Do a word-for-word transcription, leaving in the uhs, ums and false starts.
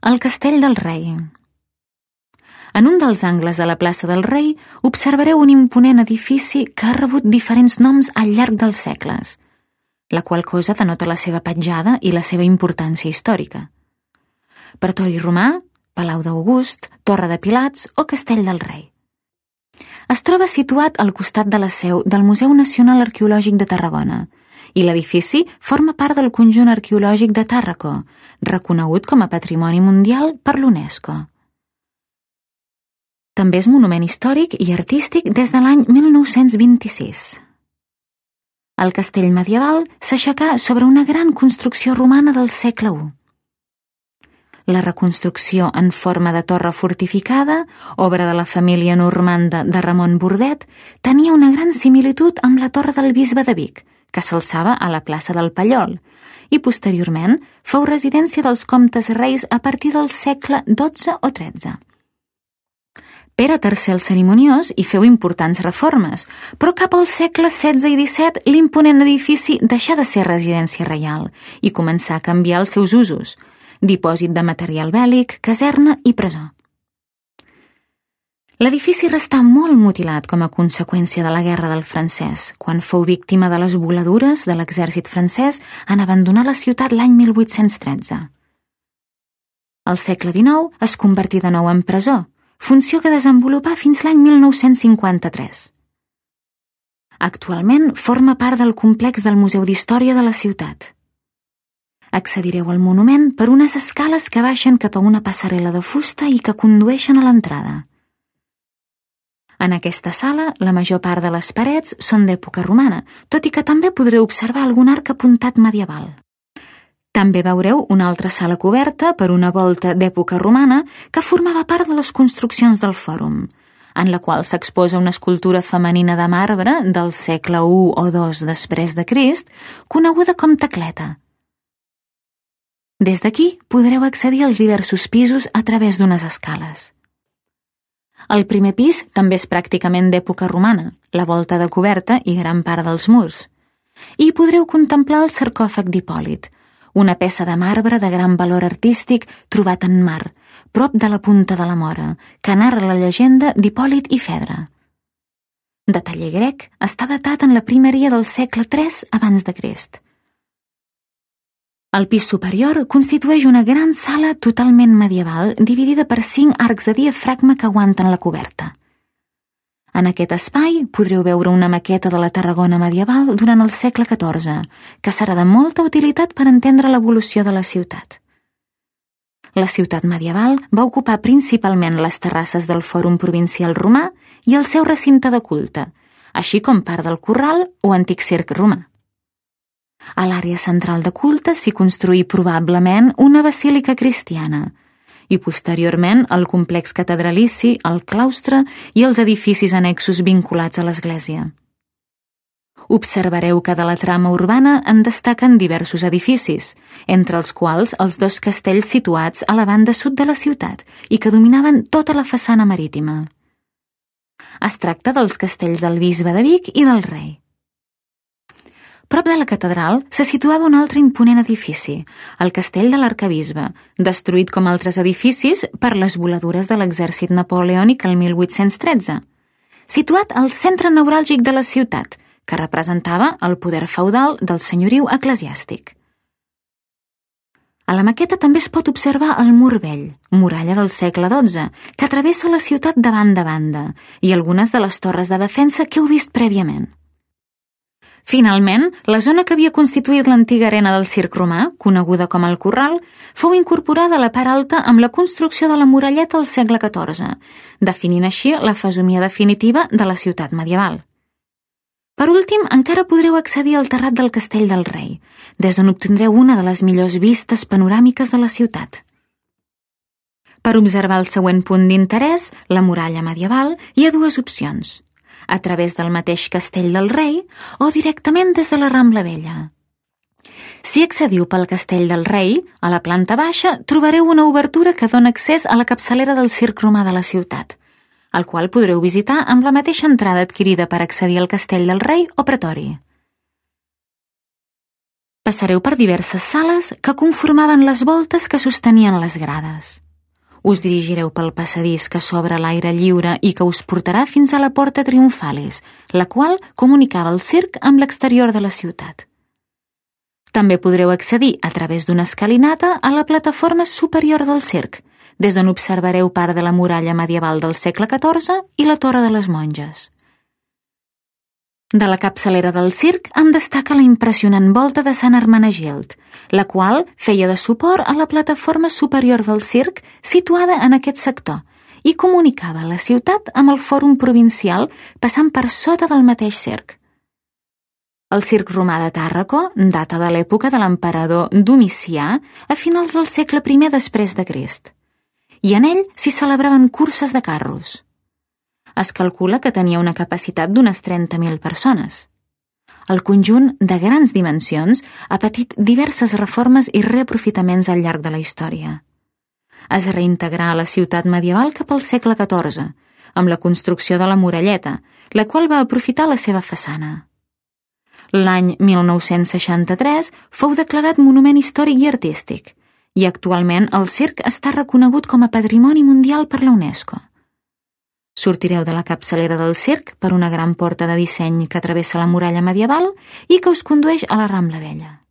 El Castell del Rei. En un dels angles de la plaça del Rei observareu un imponent edifici que ha rebut diferents noms al llarg dels segles, la qual cosa denota la seva petjada i la seva importància històrica. Pretori Romà, Palau d'August, Torre de Pilats o Castell del Rei. Es troba situat al costat de la seu del Museu Nacional Arqueològic de Tarragona i l'edifici forma part del conjunt arqueològic de Tàrraco, reconegut com a Patrimoni Mundial per l'UNESCO. També és monument històric i artístic des de l'any mil nou-cents vint-i-sis. El castell medieval s'aixecà sobre una gran construcció romana del segle u. La reconstrucció en forma de torre fortificada, obra de la família normanda de Ramon Bordet, tenia una gran similitud amb la torre del bisbe de Vic, que s'alçava a la plaça del Pallol, i posteriorment fou residència dels comtes reis a partir del segle dotze o tretze. Pere tercer el Cerimoniós hi feu importants reformes, però cap al segle setze i disset l'imponent edifici deixà de ser residència reial i començà a canviar els seus usos, dipòsit de material bèl·lic, caserna i presó. L'edifici restà molt mutilat com a conseqüència de la Guerra del Francès, quan fou víctima de les voladures de l'exèrcit francès en abandonar la ciutat l'any mil vuit-cents tretze. Al segle dinou es convertí de nou en presó, funció que desenvolupà fins l'any mil nou-cents cinquanta-tres. Actualment forma part del complex del Museu d'Història de la ciutat. Accedireu al monument per unes escales que baixen cap a una passarel·la de fusta i que condueixen a l'entrada. En aquesta sala, la major part de les parets són d'època romana, tot i que també podreu observar algun arc apuntat medieval. També veureu una altra sala coberta per una volta d'època romana que formava part de les construccions del fòrum, en la qual s'exposa una escultura femenina de marbre del segle u o dos després de Crist, coneguda com Tecleta. Des d'aquí podreu accedir als diversos pisos a través d'unes escales. El primer pis també és pràcticament d'època romana, la volta de coberta i gran part dels murs. I hi podreu contemplar el sarcòfag d'Hipòlit, una peça de marbre de gran valor artístic trobat en mar, prop de la Punta de la Mora, que narra la llegenda d'Hipòlit i Fedra. De taller grec, està datat en la primeria del segle tres abans de Crist. El pis superior constitueix una gran sala totalment medieval dividida per cinc arcs de diafragma que aguanten la coberta. En aquest espai podreu veure una maqueta de la Tarragona medieval durant el segle catorze, que serà de molta utilitat per entendre l'evolució de la ciutat. La ciutat medieval va ocupar principalment les terrasses del Fòrum Provincial Romà i el seu recinte de culte, així com part del corral o antic circ romà. A l'àrea central de culte s'hi construí probablement una basílica cristiana i posteriorment el complex catedralici, el claustre i els edificis annexos vinculats a l'església. Observareu que de la trama urbana en destaquen diversos edificis, entre els quals els dos castells situats a la banda sud de la ciutat i que dominaven tota la façana marítima. Es tracta dels castells del bisbe de Vic i del Rei. Prop de la catedral se situava un altre imponent edifici, el castell de l'arquebisbe, destruït com altres edificis per les voladures de l'exèrcit napoleònic el mil vuit-cents tretze, situat al centre neuràlgic de la ciutat, que representava el poder feudal del senyoriu eclesiàstic. A la maqueta també es pot observar el Mur Vell, muralla del segle dotze, que travessa la ciutat de banda a banda, i algunes de les torres de defensa que heu vist prèviament. Finalment, la zona que havia constituït l'antiga arena del circ romà, coneguda com el Corral, fou incorporada a la part alta amb la construcció de la muralleta al segle catorze, definint així la fesomia definitiva de la ciutat medieval. Per últim, encara podreu accedir al terrat del Castell del Rei, des d'on obtindreu una de les millors vistes panoràmiques de la ciutat. Per observar el següent punt d'interès, la muralla medieval, hi ha dues opcions: a través del mateix Castell del Rei o directament des de la Rambla Vella. Si accediu pel Castell del Rei, a la planta baixa trobareu una obertura que dona accés a la capçalera del circ romà de la ciutat, el qual podreu visitar amb la mateixa entrada adquirida per accedir al Castell del Rei o Pretori. Passareu per diverses sales que conformaven les voltes que sostenien les grades. Us dirigireu pel passadís que s'obre a l'aire lliure i que us portarà fins a la Porta Triomphales, la qual comunicava el circ amb l'exterior de la ciutat. També podreu accedir a través d'una escalinata a la plataforma superior del circ, des d'on observareu part de la muralla medieval del segle catorze i la Torre de les Monges. De la capçalera del circ en destaca la impressionant volta de Sant Hermenegild, la qual feia de suport a la plataforma superior del circ situada en aquest sector i comunicava la ciutat amb el fòrum provincial passant per sota del mateix circ. El circ romà de Tàrraco data de l'època de l'emperador Domicià a finals del segle primer després de Crist, i en ell s'hi celebraven curses de carros. Es calcula que tenia una capacitat d'unes trenta mil persones. El conjunt, de grans dimensions, ha patit diverses reformes i reaprofitaments al llarg de la història. Es reintegrà a la ciutat medieval cap al segle catorze, amb la construcció de la muralleta, la qual va aprofitar la seva façana. L'any mil nou-cents seixanta-tres fou declarat Monument Històric i Artístic, i actualment el circ està reconegut com a Patrimoni Mundial per la UNESCO. Sortireu de la capçalera del circ per una gran porta de disseny que travessa la muralla medieval i que us condueix a la Rambla Vella.